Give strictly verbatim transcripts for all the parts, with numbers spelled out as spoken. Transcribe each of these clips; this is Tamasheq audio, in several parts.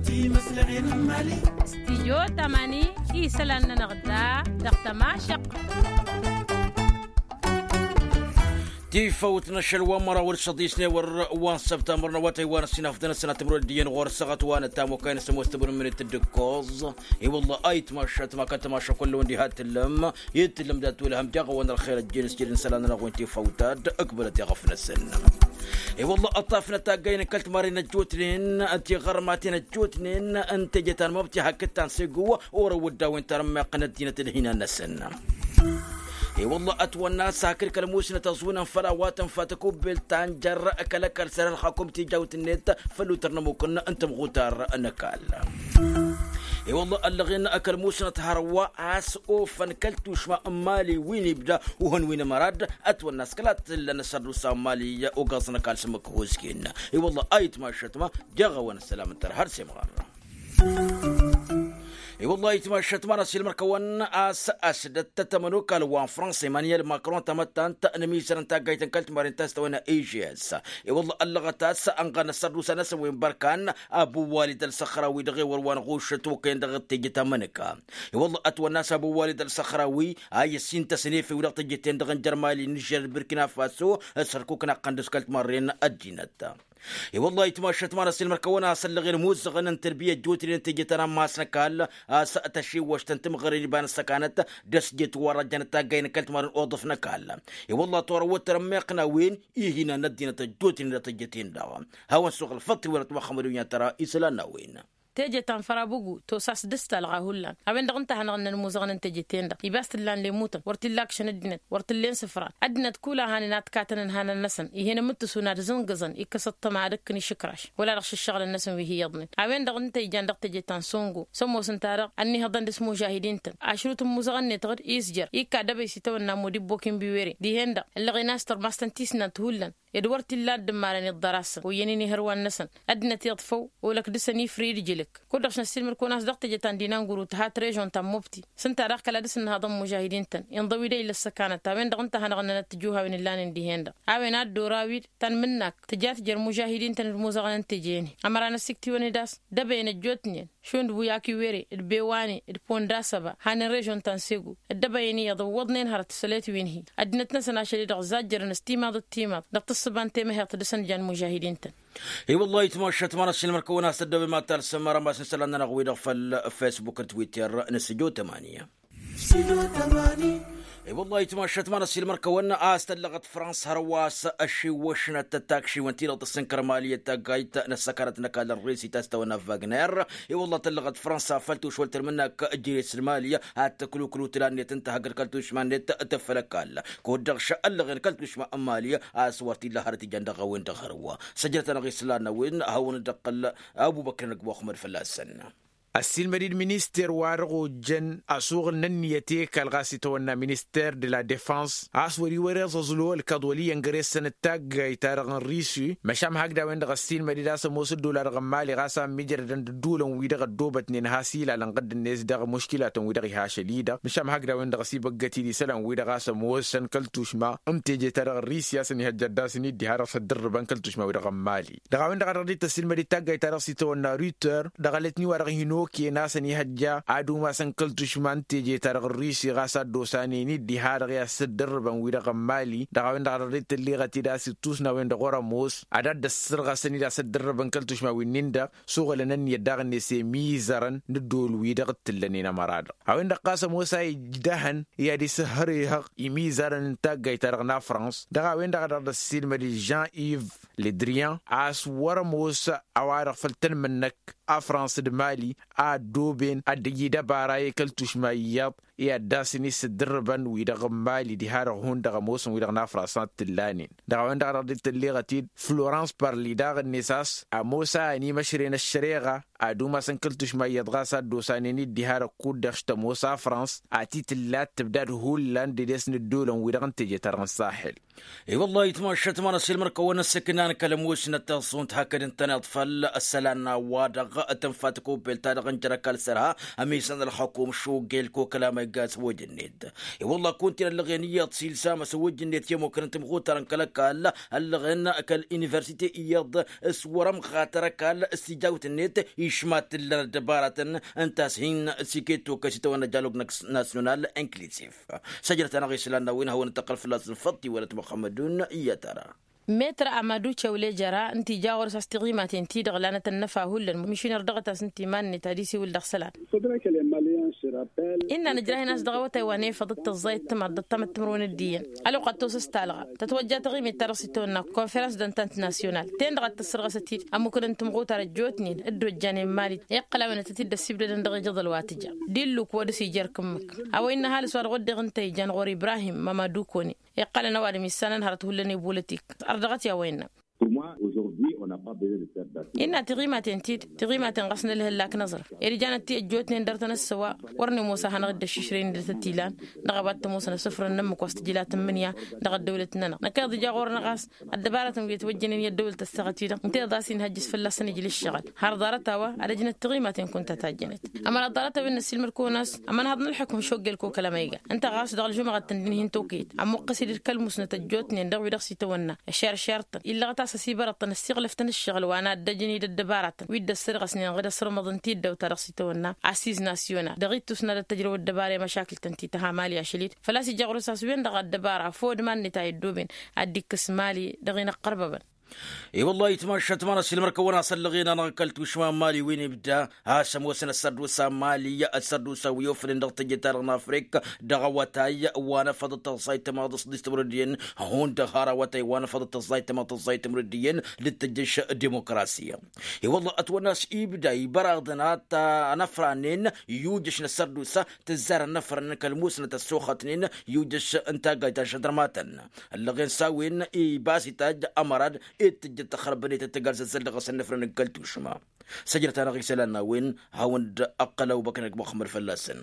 Timǝslăɣen n-imali. Stijyo tămani isălan-nănăɣ da dăɣ-tămašăɣt. Tifăwt n-ašăl wa n-măraw d-săḍisne wăr wa n-săbtamăr n-awătay wa n-ăsinafdăn ăsănatămăr wăr dd-iyyăn ɣur-săɣăt wa n-ătamokay n-asămoos tăbănămnet d-ǝkkoẓ. I-wălla a itmašat ma kăl-tămaša kull-wăn diha tǝllăm. Itǝllăm dat-wăl hăm jaɣ-wăn ălxer ăjjeen s-jed n-isălan-nănăɣ wi n-tifăwt ad-ǝkbălăt i-ɣăf-năsăn. I-wălla ăṭṭafnăt taggay n-kăl-timarren ăjjootnen tiɣărmaten ăjjootnen n-teje ta n-măbti hakd ta n-segu. Orăw dd-a-wen tarămmeɣt n-ăddinăt d-hinan-năsăn. I-wălla ătwănna s-hakd kăl-musnăt ăẓwǝnăn făll-a-wa tănfa tăkubbelt ta n-jer-kăl-ăkall săr-ălxakum tijawt-net făll-utăr n-ămmukǝn n-tămɣutar n-ăkall. I-wălla ăllăɣen kăl-musnăt hărwa a-s ofăn kăl-tušma n-imali wi n-ibda uhăn wi n-amărad. Ătwănna s-kăla t-ǝllăn ăssărdusa n-imali ogaẓ n-ăkall s-ǝmmǝk hozgen. I-wălla a itmašăt ma jaɣ-awăn ăssălam n-tărha d-semɣar. I-wălla a itmašăt ma n-asilmăr-kăwăn a-s ăsdăt tămănokal wa n-fransa emanyel makron tamăttant n-ămizărăn taggayt n-kăl-timarin ta s-tăwănna ežes. I-wălla ăllăɣăt a-s ănɣan ăssărdusa-năsăn wi n-bărkan abu walid ălsăxrawi dăɣ-ewăr wa n-ɣušăt okăyăn dăɣ-tejăt amănăka. I-wălla ătwănna a-s abu walid ălsăxrawi a i-ăssintăsăn efew dăɣ-tejăt-en-dăɣ n-jer-mali n-ižžer d-birkina faso. S-hărkuk n-aqqăn d-s kăl-timarren ăddinăt. I-wălla a itmašăt ma n-asǝllăɣen imuzăɣăn n-tărbiyăt jotnen tejăt ănammas n-ăkall a-s tăšiwăšt n-timɣăren iba n-ăssăkanăt d-ăsjet wa rajjănăt taggay n-kăl-timarren oḍăf n-ăkall. I-wălla torăwăt tărămmeɣt n-a-wen ihinan n-ăddinăt ăjjootnen d-tăjjăten-dăɣ. Hawăn-suɣ ălfăṭṭi wăr-ătwăxxămăd wi n-ad-tăra isălan n-a-wen. Teje ta n-fărabugu tosa s-dd-talɣa hullan a-wen-dăɣ ǝnta a hanăɣ-ǝnnăn imuzăɣăn n-teje-ten-dăɣ ibas t-ǝllan lemutăn wăr t-illa akšăn ăddinăt wăr t-ǝllen sǝfran. Ăddinăt kul a hanen ad-katăn ǝnhanăn-năsăn ih'-en ǝmmǝttǝs unad ǝzǝngǝẓăn ikkăs ăṭṭăma ad-ǝkkǝn išǝkraš wăla dăɣ-šǝššăɣǝlăn-năsăn wi hi-iyyăḍnen. A-wen-dăɣ ǝnta ijan dăɣ-teje ta n-songo s-ămoosăn-ta-dăɣ ănnihăḍăn dăɣ-s mužahidin-tăn ašrut n-imuzăɣăn-net-dăɣ d-isjăr ikka dăbăy s-itawănna modibbo kinbiwere dihen-dăɣ ǝllăɣen a-s tărmastăn tisnant hullan ed wăr t-illa ad-dd-ǝmmalăn iḍḍăr-asăn oyyăn-in ihărwan-năsăn. Ăddinăt iḍfăw olăk dăɣ-săn ifrǝy d-ijǝlǝk kud-dăɣ šăn ăssiilmăd-kăwăn a-s dăɣ-teje ta n-dinanguru tǝhat režon ta n-mobti s-ǝnta daɣ kăla dăɣ-s ǝnnăhăḍăn mužahidin-tăn inḍăw-dd a illa ăssăkanăt a-wen-dăɣ ǝnta a hanăɣ-ǝnnănăt tijuhawen ǝllanen dihen-dăɣ. A-wen a dd-oraw-dd ta n-imǝnnak tǝja tǝjăr mužahidin-tăn d-imuzăɣăn n-teje-en-hi ămăra n-ăssiktǝwăn-dd a-s dăbăyăn ăjjootnen šund wi akiwere d-bewane d-pondasăba hanen režon ta n-segu ăddăbăyăn iyyăḍ ǝwwăḍnen hărăt ǝssălet wi n-hi. Ăddinăt-năsăn ašăl-i-dăɣ zajjărăn s-timaḍ d-timaḍ dăɣ-tǝssǝba n-temăheḍt dăɣ-săn jan mužahidin-tăn. I-wăllah itmašat ma n-ăssiilmăr-kăwăn a-s ăddăwem ad-talsăm rămas n-isălan-nănăɣ-wi-dăɣ făll-facebook d-twitter n-sǝjo tămani. I-wăllah itmašat ma n-ăssiilmăr-kăwăn a-s tăllăɣăt frans hărwa a-s ăšiwwăšnăt tăttakšiwăn-ti-dăɣ tăssǝnkăr mali d-taggayt n-ăssăkanăt n-ăkall n-risi ta s-tawănna vagner. I-wăllah tăllăɣăt frans a făl tušwăl tălmǝnnak ǝjre s-mali ad-tăkluklu tǝla-net n-tahăggăd kăl-tušma-net tăfăl ăkall kud-dăɣ šăllăɣen kăl-tušma n-mali. A-s wăr t-illa hărăt ijan dăɣ-a-wen-dăɣ hărwa săjdăt-anăɣ islan n-a-wen hawăn-dd-ăqqăl abubăkr n-ăgg muxămmăd fălla-săn. Ăssiilmăd-dd minister wa dăɣ-ojjăn asuɣǝl n-ǝnniyăt i-kăl ɣas itawănna minister de la defans a-s wăr-iwăr iẓǝẓlu ălkăḍ wăl' iyyăn găre-săn d-taggayt-ta-dăɣ n-risi. Măšan hakd a-wen-dăɣ ăssiilmăd-dd a-s ămoos dd-ola dăɣ-ămmali ɣas a ămmijrădăn d-ǝddulăn-wi-dăɣ ăddoobătnen has-ila ălănɣăd-net dăɣ-muškilatăn-wi-dăɣ iha ašăl-i-dăɣ. Măšan hakd a-wen-dăɣ ăsibăggăt-dd isălan-wi-dăɣ a-s ămoosăn kăl-tušma n-teje-ta-dăɣ n-risi a-s ănihăjja ad-dd-asăn-dd diha-dăɣ s-ăddărrǝbăn kăl-tušma-wi-dăɣ n-mali. Dăɣ-a-wen-dăɣ a dăɣ-dd-tăssilmăd d-taggayt-ta-dăɣ s-itawănna ruter dăɣ-alătni wa dăɣ-hin-okăyăn a-s ăniihăjja ad-umasăn kăl-tušma n-teje-ta-dăɣ n-risi ɣas a dd-osanen-dd diha-dăɣ i-ad-săddărrǝbăn wi-dăɣ n-mali. Dăɣ-a-wen-dăɣ a dăɣ-dd-tălleɣăt-dd a-s ittus n-a-wen-dăɣ wăr-ămoos ad-dd-ăssărɣăsăn-dd a-s ăddărrǝbăn kăl-tušma wi-nin-dăɣ. Suɣǝlăn ǝnniyăt daɣ-net i-imizărăn n-ăddool-wi-dăɣ t-ǝllănen ămăra-dăɣ a-wen-dăɣ ɣas ămoos a ijdăhăn i-ad-isǝhhărehăɣ imizărăn n-taggayt-ta-dăɣ n-afrans. Dăɣ-a-wen-dăɣ a dăɣ-dd-ăssiilmăd jean iv ledrian a-s wăr-ămoos a-wa-dăɣ făll-tanmǝnnăk afrans d-mali a ăddooben ad-dd-ăyy dăbara i-kăl-tušma iyyăḍ i-ad-dd-asăn isǝddărrǝbăn wi-dăɣ n-mali diha-dăɣ hundăɣ ămoosăn wi-dăɣ n-afrans ad-t-ǝllanen. Dăɣ-a-wen-dăɣ a dăɣ-dd-tălleɣăt-dd florans parli daɣ-net a-s ămoos a ănimăšrăyăn ăššăreɣa ad-umasăn kăl-tušma iyyăḍ ɣas a dd-osanen-dd diha-dăɣ kud-dăɣ š-tămoos afrans. A t-tǝlla ad-tǝbdad hullan d-edes n-ǝddolăn wi-dăɣ n-teje-ta-dăɣ n-saxel. I-wăllah itmašat ma n-ăssiilmăr-kăwăn ăssăknan. Kăl-ămoosnăt taẓẓunt hakd ǝntăneḍ făll-ăssălan n-a-wa-dăɣ tǝnfa tăkobbelt-ta-dăɣ n-jăr ăkall s-ărha ămisăn ălxukum šugg i-ălkokăla ma igga s-wăjj-net. I-wălla kunta-in ăllăɣen iyyăḍ s-ilsam s-wăjj-net i-ămmukăn n-timɣutar n-kăl-ăkall ăllăɣen kăl-universite iyyăḍ s-wăr-ămɣatăr ăkall s-tijawt-net išmat ǝllăn ăddăbaratăn ǝnta a-s hin-sikettu kăsităwăn n-ăjjălug nasyonal inklisif. Săjdăt-anăɣ isălan n-a-wen hawăn-dd-tăqqăl fălla-săn făḍt-iwălăt muxămmădun iyyăt ara. Metr amadu cewle jăra ǝnta ija ɣur-s a-s tiɣimaten-ti-dăɣ lanăt ănnăfa hullan mišiner dăɣ-tas ǝnta iman-net ad-isiwǝl dăɣ-isălan. Innă nǝjrahen a-s dăɣ-awătay wa n-efăḍ d-tăẓẓayăt timaḍ d-ăṭṭamăt timǝrwen d-iyyăn ălwăqq ad-tosăs talɣa tătwăjja taɣimit-ta-dăɣ s-itawănna konferăns d-ănta n-nasyonal ten-dăɣ ad-tăssărɣăs ătid ămmukăn n-timɣutar ăjjootnen dd-ojjanen mali iqqăl a-wen ad-tăt-dd-ăssibdădăn dăɣ-ijăḍăl wa tǝja d-illuk wa dăɣ-s ija ărkǝmmǝk. A-wa innă ăhalǝs wa dăɣ-wădden ǝnta ijan ɣur-ibrahim mămădukone iqqălăn ăwadǝm issanăn hărăt hullan i-bolotik. Ărdăɣăt i-a-wa innă. Innă tiɣimaten-ti-dd tiɣimaten ɣas n-ălhăllak n-aẓrǝf ed ijanăt ti ăjjootnen dăr-tăn ăssăwa. Wăr-nămoos a hanăɣ-dd-ăššišrăyăn d-tătilan dăɣ-a-wa t-ămoosăn asǝfrăn n-ǝmmǝk wa s-tǝjla tǝmmǝnǝya dăɣ-ăddăwlăt-nănăɣ. Năkk iyyăḍ ija ɣur-năɣ a-s ăddăbarătăn wi ătwăjjănen i-ăddăwlăt ăssaɣăt-i-dăɣ ǝnta iyyăḍ a-s inhăjjăs fălla-săn ijlǝššăɣăl har ḍarăt-a-wa ad-ăjnăt tiɣimaten kunta tajjănet. Ămăra ḍarăt-a-wen năssiilmăd-kăwăn a-s ămănhaḍ n-ălḥukǝm šoggel kokăla ma iga ǝnta ɣas dăɣ-ălžumăɣăt tǝndǝn hin-tokăyăt ămmuqqăs-dd kăl-musnăt ăjjootnen dăɣ-wi-dăɣ s-itawănna ăšeršertăn illăɣăt a-s ăsibărăḍ-tăn ăssiɣlăf-tăn ǝššăɣǝl wa n-ad-dd-ăjăn-dd ăddăbaratăn wi dd-ăssădɣăsnen ɣǝd ăsrǝmăḍ n-tiddawt-ta-dăɣ s-itawănna. Asis nasyonal dăɣ-ittus n-ad-ăttăjrăw ăddăbara i-măšakǝl-tăn ti tăha mali ašăl-dd făl-a-s ija ɣur-s a-s wen-dăɣ ăddăbara făw d-iman-net a iddoben ad-dd-ikkǝs mali dăɣ-inăqqărbăbăn. I-wăllah itmašat ma n-ăsilmăr-kăwăn-as ăllăɣen-anăɣ kăl-tušma n-mali wi n-ibda a-s ămoosăn ăssărdusa n-mali ăssărdusa wi ofănen dăɣ-teje-ta-dăɣ n-afrik dăɣ-awătay wa n-afăḍ d-tăẓẓayt tămaḍ s-dd-s timrăddiyen. Hundăɣ har awătay wa n-afăḍ d-tăẓẓayt tămaḍ tăẓẓayt timrăddiyen d-tăjjăš dimokrasiya. I-wăllah ătwănna a-s ibda ibăraḍăn ad-t-ănăfranen yujăš n-ăssărdusa tǝzzar ănnăfrăn kăl-musnăt ăssoxătnen yujăš n-taggayt ta žădrămatăn ăllăɣen s-a-wen ibas itajj ămărad ed tǝjjăt tăxrăbănet d-tăgg-alzăzzăl dăɣ-asăn năfrăn n-kăl-tušma. Săjdăt-anăɣ isălan n-a-wen hawăn-dd-ăqqăl ăbubăkr năgg muxămmăd fălla-săn.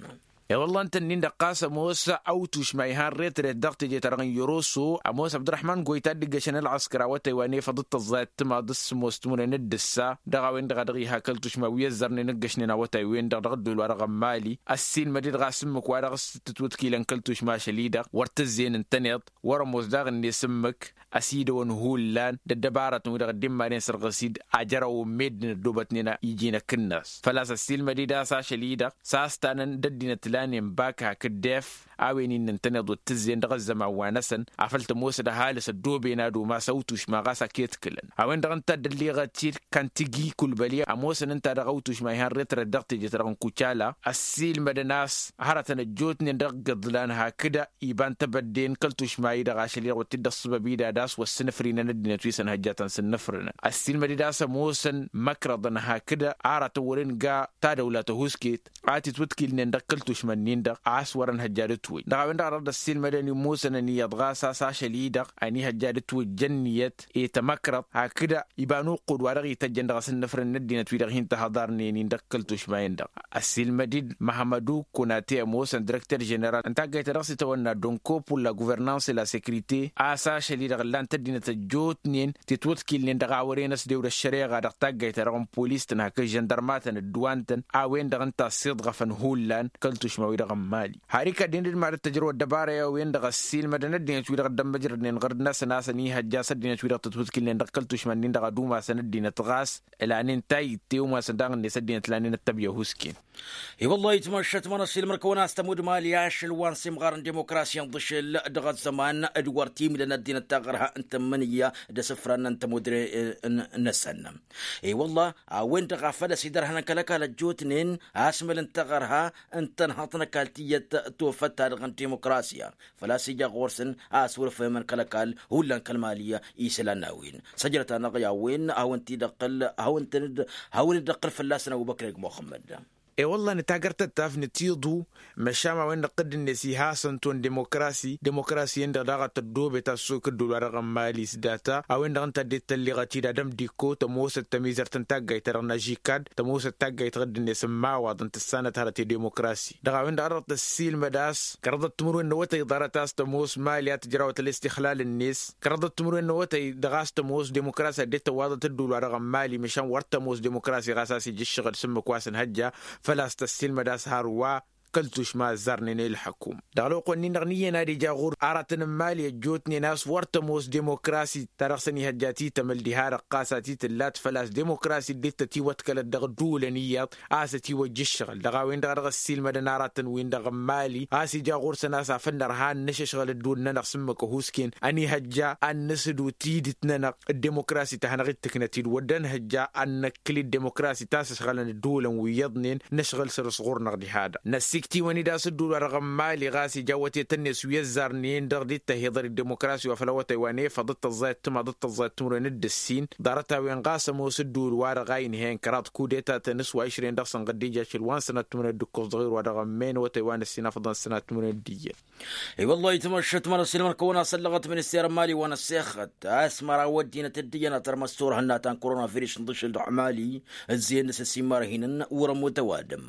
E-wălla ǝnta-nin-dăɣ ɣas ămoos awtušma ihan retret dăɣ-teje-ta-dăɣ n-yăroso ămoos abdăraḥman goyta a dd-ǝggăšăn ălɣăskăr awătay wa n-efăḍ d-tăẓẓayăt timaḍ s-sǝmmos timǝrwen d-ǝssa dăɣ-a-wen-dăɣ a dăɣ-iha kăl-tušma wi ăzzărnen ǝggăšnen awătay-wen-dăɣ dăɣ-ăddol-wa-dăɣ n-mali. Ăssiilmăd-dd ɣas ǝmmǝk wa dăɣ-s tǝtwǝtkilăn kăl-tušma ašăl-i-dăɣ wăr tǝzzeyăn ǝntăneḍ wăr-ămoos daɣ-net ǝmmǝk ăsidăwăn hullan d-ăddăbarătăn-wi-dăɣ dd-immanen sărɣǝs-dd ajărăwăn meddǝn ăddoobătnen iji n-akǝnnas. Făl-a-s ăssiilmăd-dd a-s ašăl-i-dăɣ s-a-s tanăn d-ăddinăt lanen bak hakd def a-wen innă ǝntăneḍ wăr tǝzzeyăn dăɣ-ăzzăman-wa-năsăn afăl tămoos d-ăhalǝs ăddooben ad-umas awtušma ɣas ak-i-ătkǝlăn. A-wen-dăɣ ǝnta a dd-ălliɣăt-dd kantigi kulbăli ămoosăn ǝnta dăɣ-awtušma ihan retret dăɣ-teje-ta-dăɣ n-kucala ăssiilmădăn a-s hărătăn ăjjootnen dăɣ-igǝḍlan hakd iba n-tebădde n-kăl-tušma-i-dăɣ ašăl-i-dăɣ wăr t-dd-ăṣṣăbăb-i d-ad-as wăr sǝnǝfrinăn ăddinăt wi s-ănhăjjatăn s-ǝnnǝfrǝnăn. Ăssiilmăd-dd a-s ămoosăn măkrăḍăn hakd arătăn wăren ga tadăwla tăhusket a titwǝtkilnen dăɣ-kăl-tušma-nin-dăɣ a-s wăr-ănhăjja d-ǝtwǝjj dăɣ-a-wen-dăɣ a dăɣ-dd-ăssiilmădăn immosăn ăniyyăḍ ɣas a-s ašăl-i-dăɣ ănihăjja d-ǝtwǝjj ănniyăt i-tamăkrăḍt hakd iba n-uqqud wa dăɣ-ităjjăn dăɣ-asǝnnǝfrǝn n-ăddinăt wi-dăɣ hin-tăhăḍarnen-in dăɣ-kăl-tušma-in-dăɣ. Ăssiilmăd-dd măhmădu kunate ămoosăn direkter ženeral n-taggayt ta dăɣ-s itawănna donkopulla guvernanse la sekrite a-s ašăl-i-dăɣ ǝllan-t ăddinăt ăjjootnen titwǝḍkilnen dăɣ-a wăren ăsdewd ăššăreɣa dăɣ-taggayt ta dăɣ-n polis-tăn hakd žăndărmatăn ădduwan-tăn a-wen-dăɣ ǝnta a ăssiḍɣăfăn hullan kăl-tušma-wi-dăɣ n-mali. Har ikădden d-mad-ăttăjrăw ăddăbara i-a-wen-dăɣ ăssiilmădăn ăddinăt-wi-dăɣ dd-ămmăjrădnen ɣur-năsăn a-s ănihăjja a-s ăddinăt-wi-dăɣ tătwǝtkǝlnen dăɣ-kăl-tušma-nin-dăɣ ad-umasăn ăddinăt ɣas ǝlanen tayǝtte umasăn daɣ-net ăddinăt lanen ăttăbya husken. I-wăllah itmăššăt ma n-ăssiilmăr-kăwăn a-s tămudd mali ašăl wa n-simɣar n-dimokrasi n-iḍǝšel dăɣ-ăzzăman d-wăr timǝlăn ăddinăt taɣărha n-tǝmmǝnǝya d-asǝfran n-tămudre-năsăn. I-wăllah a-wen-dăɣ a făl ăsidărhănăn kăl-ăkall ăjjootnen asmăl n-taɣărha n-tănhăḍt n-ăkall tiyyăt tofăt-ta-dăɣ n-dimokrasiya făl-a-s ija ɣur-săn a ăswărfăyămăn kăl-ăkall hullan kăl-mali isălan n-a-wen. Săjdăt-anăɣ i-a-wen hawăn-t-dd-ăqqăl hawăn-tăn-dd hawăn-dd-ăqqăl fălla-săn ăbubăkr eg muxămmăd. E-wălla nǝtagăr tăttaf nǝtiḍu. Măšan a-wen-dăɣ tădd-net ihasăn-t wăn demokrasi demokrasi-en-dăɣ daɣ ad-tăddobet a-s s-okăddul wa dăɣ-ămmali s-data a-wen-dăɣ ǝnta a dd-tălliɣăt-dd adăm d-ikko tămoosăt tămizărt n-taggayt-ta-dăɣ n-ažikad tămoosăt taggayt ɣǝdd-net n-imawaḍ n-tǝssanăt hărăt i-demokrasi. Dăɣ-a-wen-dăɣ a dăɣ-tăssiilmăd a-s kăraḍăt timǝrwen n-awătăy ḍarăt a-s tămoos mali ad-tǝjrawăt ălestixlal-net kăraḍăt timǝrwen n-awătăy dăɣ-a-s tămoos demokrasi ad-dd-tăwwaḍăt ădduul wa dăɣ-ămmali măšan wăr tămoos demokrasi ɣas a-s ija ǝššăɣǝl s-ǝmmǝk wa s-ănhăjja. Făl-a-s tăssiilmăd a-s hărwa kăl-tušma ăzzarnen i-ǝlḥăkum dăɣ-ălwăqq-wǝnnin-dăɣ n-iyyăn ad-ija ɣur-aratăn n-imali ăjjootnen a-s wăr tămoos demokrasi ta dăɣ-săn ihăjja titămăl diha-dăɣ ɣas a titǝllat făl-a-s demokrasi dd-tătiwăḍkălăt dăɣ-ǝddǝwǝlăn iyyăḍ a-s ătiwăjja ǝššăɣǝl dăɣ-a-wen-dăɣ a dăɣ-ăssiilmădăn aratăn-win-dăɣ n-imali a-s ija ɣur-săn a-s afăl nărha ad-nǝšǝšɣǝl ǝddǝwǝl-nănăɣ s-ǝmmǝk ăhuusken ănihăjja ad-nǝsǝdu tidǝt-nănăɣ d-demokrasi ta hanăɣ-dd-tǝknăt-dd wăr dd-ănhăjja ad-năkkǝl-dd demokrasi ta s-ǝšɣălăn ǝddǝwǝlăn wi iyyăḍnen nǝšɣǝl săr-s ɣur-năɣ diha-dăɣ năssikt'-iwăn-dd a-s ǝddǝwǝl wa dăɣ-ămmali ɣas ija awătetăn-net wi ăzzarnen dăɣ-dd-tăhiḍăr d-demokrasi wa făl awătay wa n-efăḍ d-tăẓẓayăt timaḍ d-tăẓẓayăt timǝrwen d-ǝssin ḍarăt-a-wen ɣas ămoos ǝddǝwǝl-wa-dăɣ a inhăyăn kăraḍ kudetatăn s-wa išrăyăn dăɣ-săn ɣǝddija ašăl wa n-sănat timǝrwen d-ǝkkoẓ dăɣ-ewăr wa dăɣ-ămmen awătay wa n-ǝssin afăḍăn sănat timǝrwen d-iyyăn. I-wăllah itmăššăt măra s-ilmăn kăwăn-asăllăɣăt minister n-mali wa n-ăssexăt a-s măraw ăddinăt dd-iyyăn ad-tărmăs turhǝnna ta n-korona virǝs n-ḍǝšǝl dăɣ-mali ǝzzeyăn dăɣ-s ăsimmarhinen wăr-ămmut ăwadǝm.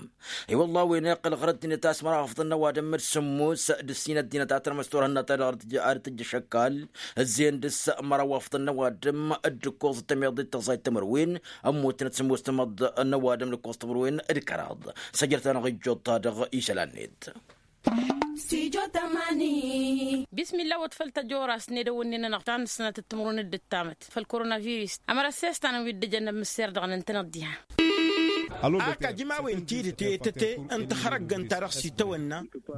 I-wăllah a-wen iqqăl ɣur-ăddinăt a-s măraw afḍăn n-ăwadǝm d-sǝmmos d-ǝssin ăddinăt ad-tărmăs turhǝnna ta dăɣ-dd-tǝjj ašăkkal ǝzzeyăn dăɣ-s măraw afḍăn n-ăwadǝm d-ǝkkoẓ d-tămiḍ d-tăẓẓayt timǝrwen ămmutnăt sǝmmos timǝḍ n-ăwadǝm d-ǝkkoẓ timǝrwen d-kăraḍ. Săjrăt-anăɣ ijjuḍ-ta-dăɣ isălan-net. Bismillah wăt făl tăjoras n-edăwănne-nănăɣ ta n-ǝssănatăt timǝrwen d-ǝttamăt făll-koronavirus. Ămăra s-e-s tanăn wi dd-ăjăn ămmǝsser dăɣ-nănăɣ tănăḍ diha. Ak ajǝmawăn tidǝt i-tăte n-tihărăggăn ta dăɣ-s itawănna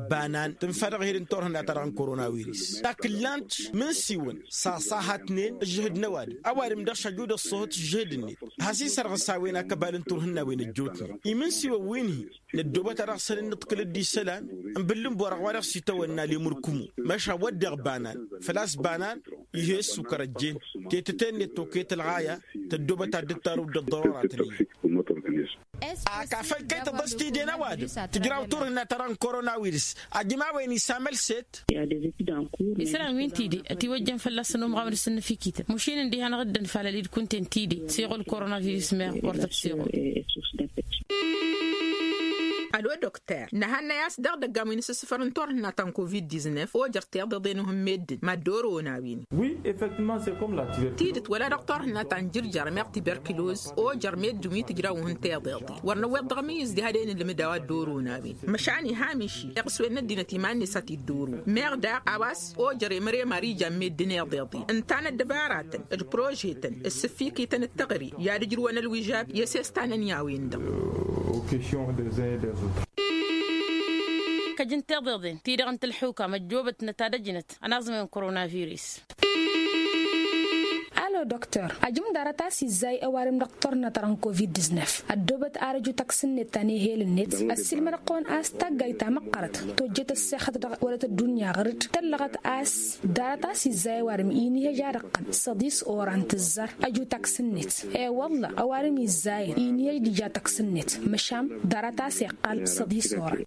banan tǝnfa dăɣ-ehel n-turhǝnna ta dăɣ-n koronavirus. Takǝllant mǝnsiwăn sasahatnen ǝžžǝhǝd n-ăwadǝm ăwadǝm dăɣ-s aju d-ăṣṣohăt ǝžžǝhǝd-net. Has-isărɣǝs a-wen akăbal n-turhǝnna a-wen ăjjootnen imǝnsiwăn wi n-hi-năddoobăt a dăɣ-săn dd-nǝḍkǝl dd-isălan n-bǝllǝnbor ăɣwa dăɣ-s itawănna lemurkǝmu. Măšan wădden banan făl-a-s banan ih' e-ǝssukăr ăjjeen tetăte-net toket ălɣaya tăddoobăt ad-dd-tarǝw d-ăḍḍărora tănǝyyăt. Ak afăl kăy-tăḍăs tide n-ăwadǝm tǝjraw turhǝnna ta dăɣ-n koronavirǝs. Ajǝm a-wen isamăl set. Isălan wi n-tide ătiwăjjăn fălla-săn umɣam d-asǝnnǝfikităn mušin ǝndiha-năɣ dd-ănfalăl-dd kunta-en tide s-iɣul koronavirǝs meɣ wăr tăt-siɣul. Ălo dokter nǝhannăy a-s dăɣ-idăggan wi n-asǝssǝfăr n-turhǝnna ta n-covid-diznef ojăr tiḍeḍen uhǝn meddǝn mad-dd-orăwăn a-wen. Tidǝt wăla dăɣ-turhǝnna ta n-jǝrjar meɣ tiberkiloz ojăr meddǝn wi tǝjrawăn uhǝn tiḍeḍen wăr năwweḍ dăɣ-amǝyyǝz diha d-e-nǝlmǝd a-wa dd-orăwăn a-wen. Măšan iha miši iɣǝswen n-ăddinăt iman-net a t-dd-orăwăn meɣ daɣ a-wa s-ojăr emăre mari ijan meddǝn iḍeḍen ǝnta n-ăddăbaratăn d-prožetăn d-sǝffikităn d-teɣăre i-ad-ǝjrǝwăn ălwižab i-ăsestanăn i-a-wen-dăɣ. Kăjǝn tiḍeḍen ti-dăɣ n-tălḥuka măjjoobătnăt ad-ăjnăt ănaẓmăyăn koronavirus. Alo doktor ajǝm ḍarăt a-s izzay ăwadǝm dăɣ-turhǝnna ta dăɣ-n covid-diznef ăddoobăt ar ăju taksǝn-net ta n-ehel-net. Ăssiilmădăɣ-kăwăn a-s taggayt ta măqqărăt tojjet ăssexăt dăɣ-wălăt ăddunya ɣăr-dd tăllăɣăt a-s ḍarăt a-s izzay ăwadǝm inihăj ad-ǝqqǝn săḍis oran tǝzzar ăju taksǝn-net. E-wălla ăwadǝm izzayăn inihăj d-ija taksǝn-net măšan ḍarăt a-s iqqal săḍis oran.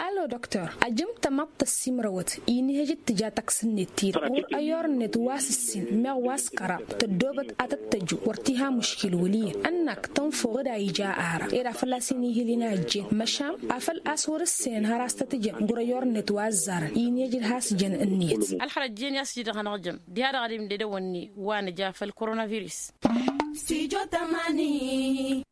Alo doktor ajǝm tămaḍt tăssimrăwăt inihăj d-tǝja taksǝn-net-ti-dăɣ wăr ăyorăn-net wa s-ǝssin meɣ wa s-kăraḍ tăddoobăt ad-tăt-tăju wăr t-iha muškil wăl' iyyăn ănnak tănfăw dd-a ija ara ed a fălla-s inihǝl-in a ăjjeen măšan afăl a-s wăr-ǝssenăn har a-s tăt-ǝjăn ɣur-ăyorăn-net wa ăzzarăn inihăj d-has-jăn ǝnniyăt. Ălxărăt jen i-a-s ǝjdăɣ hanăɣ-jăm diha-dăɣ ad-imded ăwănni wa nǝja făll-koronavirus. Studyo tamani.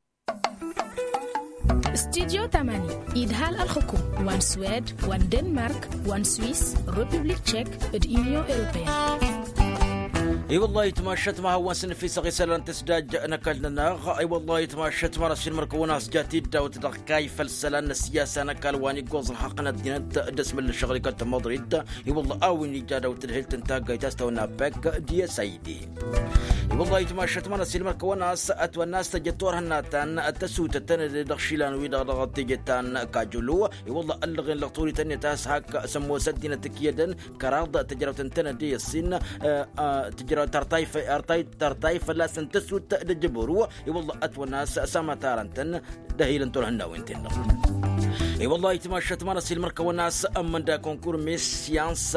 Studyo tamani idhal ălxǝkum wa n-swed wa n-denmark wa n-swiss, republik tchek d-union europeyăn. I-wăllah itmašăt ma hawăn-săn ăfisăɣ isălan tǝsdaj n-ăkall-nănăɣ. I-wăllah itmašăt ma răshin mărkăwăn a-s jat-dd dawt-dăɣ kayy făll-isălan n-ăssiyasa n-ăkall wa n-iggoẓ ălxaqq n-ăddinăt d-asmǝl n-ăššăɣǝl ikăl tămăḍrit. I-wăllah a-wen ija dawt-tǝdhǝlt n-taggayt a-s tawănna pek d-i s a i d. I-wălla ayǝtmašăt ma n-ăsilmăr kăwăn-as ătwănna a-s tăjăt turhǝnna ta n-tăsutăt tăn-dd dăɣ-išilan-wi-dăɣ dăɣ-teje ta n-kajulu. I-wălla ăllăɣen lăɣ turiten-net a-s hak sămmosăt dinăt ǝkyădăn kăraḍ tǝjrawt ǝntănăt i-ăssin tǝjrawt tărtay fălla-săn tăsut d-ăjjăbăru. I-wălla ătwănna a-s samătarăn-tăn d-ehilăn turhǝnnawen-ten-dăɣ. I-wălla ayǝtmašăt ma n-ăsilmăr kăwăn-as ămmănda konkur mes syans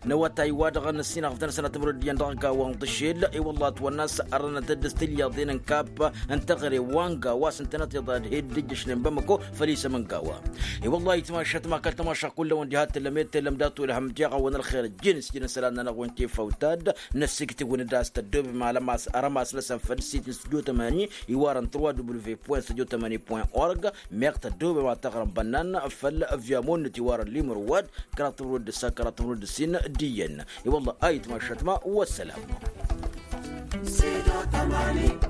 n-awătay wa dăɣ-năssinăɣ fătăn sănăt mărăd iyyăn dăɣ-gawa n-tăšel. I-wălla ătwănna a-s ărrănăt dd-s tilyaḍen n-kap n-teɣăre wa n-gawa a-s ǝntănăt iḍa d-he-dd ǝjjăšnen bamăko făll-isămăn gawa. I-wălla ayǝtmašăt ma kăl-tamašăɣ kull-awăn diha t-tǝllăm ed tellăm datu ălhăm tiɣawăn ălxer ăjjeen s-jin isălan-nănăɣ wen tifawt-ad. Năssiktǝwăn-dd a-s tăddoobem alămas arămas-năsăn făll-sit n-studio tămani iwarăn trois w point studio tămani point org. Meɣ tăddoobem ad-tăɣrăm bănnan făll-avyamo-net iwarăn limăr wa-d kăraḍ timǝrwed d-ǝssa kăraḍ timǝrwed d-ǝssin d-iyyăn. I-wălla ayǝtmašăt ma wăssălam. Studio tămani.